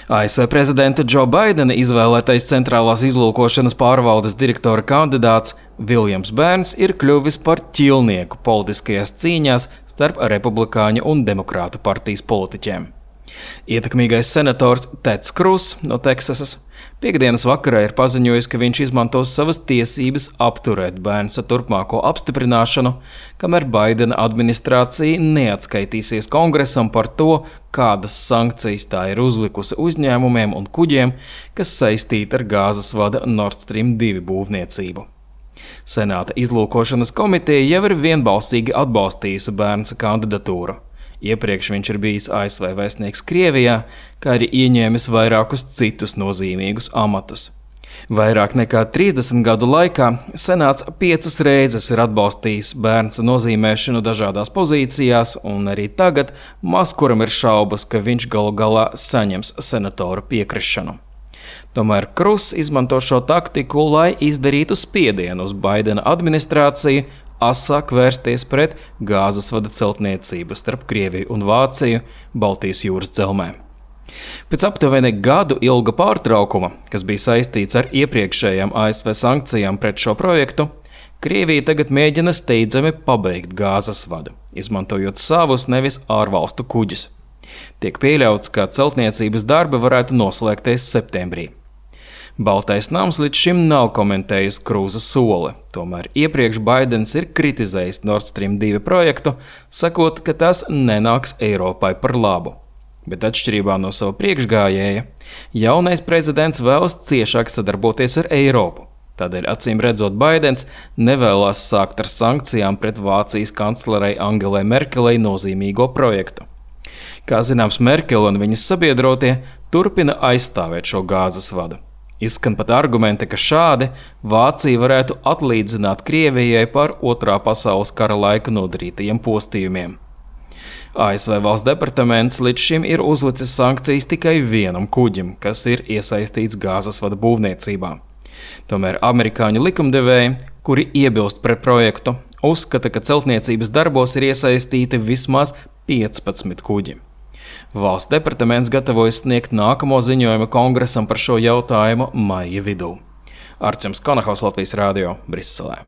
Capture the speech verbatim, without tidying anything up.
A S V prezidenta Džo Baidena izvēlētais centrālās izlūkošanas pārvaldes direktora kandidāts Viljams Bērns ir kļuvis par ķilnieku politiskajās cīņās starp republikāņu un demokrātu partijas politiķiem. Ietekmīgais senators Teds Krus no Teksasas piekdienas vakarā ir paziņojis, ka viņš izmantos savas tiesības apturēt Bērnsa turpmāko apstiprināšanu, kamēr Baidena administrācija neatskaitīsies kongresam par to, kādas sankcijas tā ir uzlikusi uzņēmumiem un kuģiem, kas saistīti ar gāzes vada Nord Stream divi būvniecību. Senāta izlūkošanas komiteja jau ir vienbalsīgi atbalstījusi Bērnsa kandidatūru. Iepriekš viņš ir bijis A S V vēstnieks Krievijā, kā arī ieņēmis vairākus citus nozīmīgus amatus. Vairāk nekā trīsdesmit gadu laikā Senāts piecas reizes ir atbalstījis Bērnsa nozīmēšanu dažādās pozīcijās, un arī tagad maz kuram ir šaubas, ka viņš galu galā saņems senatoru piekrišanu. Tomēr Krus izmanto šo taktiku, lai izdarītu spiedienu uz Baidena administrāciju, asāk vērsties pret gāzes vada celtniecību starp Krieviju un Vāciju Baltijas jūras dzelzmē. Pēc aptuveni gadu ilga pārtraukuma, kas bija saistīts ar iepriekšējām A S V sankcijām pret šo projektu, Krievija tagad mēģina steidzami pabeigt gāzes vadu, izmantojot savus nevis ārvalstu kuģus. Tiek pieļauts, ka celtniecības darbi varētu noslēgties septembrī. Baltais nams līdz šim nav komentējis Krūza soli, tomēr iepriekš Baidens ir kritizējis Nord Stream divi projektu, sakot, ka tas nenāks Eiropai par labu. Bet atšķirībā no sava priekšgājēja, jaunais prezidents vēlas ciešāk sadarboties ar Eiropu. Tādēļ acīm redzot Baidens nevēlas sākt ar sankcijām pret Vācijas kanclerei Angelai Merkelei nozīmīgo projektu. Kā zināms, Merkele un viņas sabiedrotie turpina aizstāvēt šo gāzes vadu. Izskan pat argumenti, ka šādi Vācija varētu atlīdzināt Krievijai par otrā pasaules kara laika nodarītajiem postījumiem. A S V valsts departaments līdz šim ir uzlicis sankcijas tikai vienam kuģim, kas ir iesaistīts gāzes vada būvniecībā. Tomēr amerikāņu likumdevēji, kuri iebilst pret projektu, uzskata, ka celtniecības darbos ir iesaistīti vismaz piecpadsmit kuģi. Valsts departaments gatavojas sniegt nākamo ziņojumu kongresam par šo jautājumu maija vidū. Arčuns Konahaus, Latvijas Rādio, Briselē.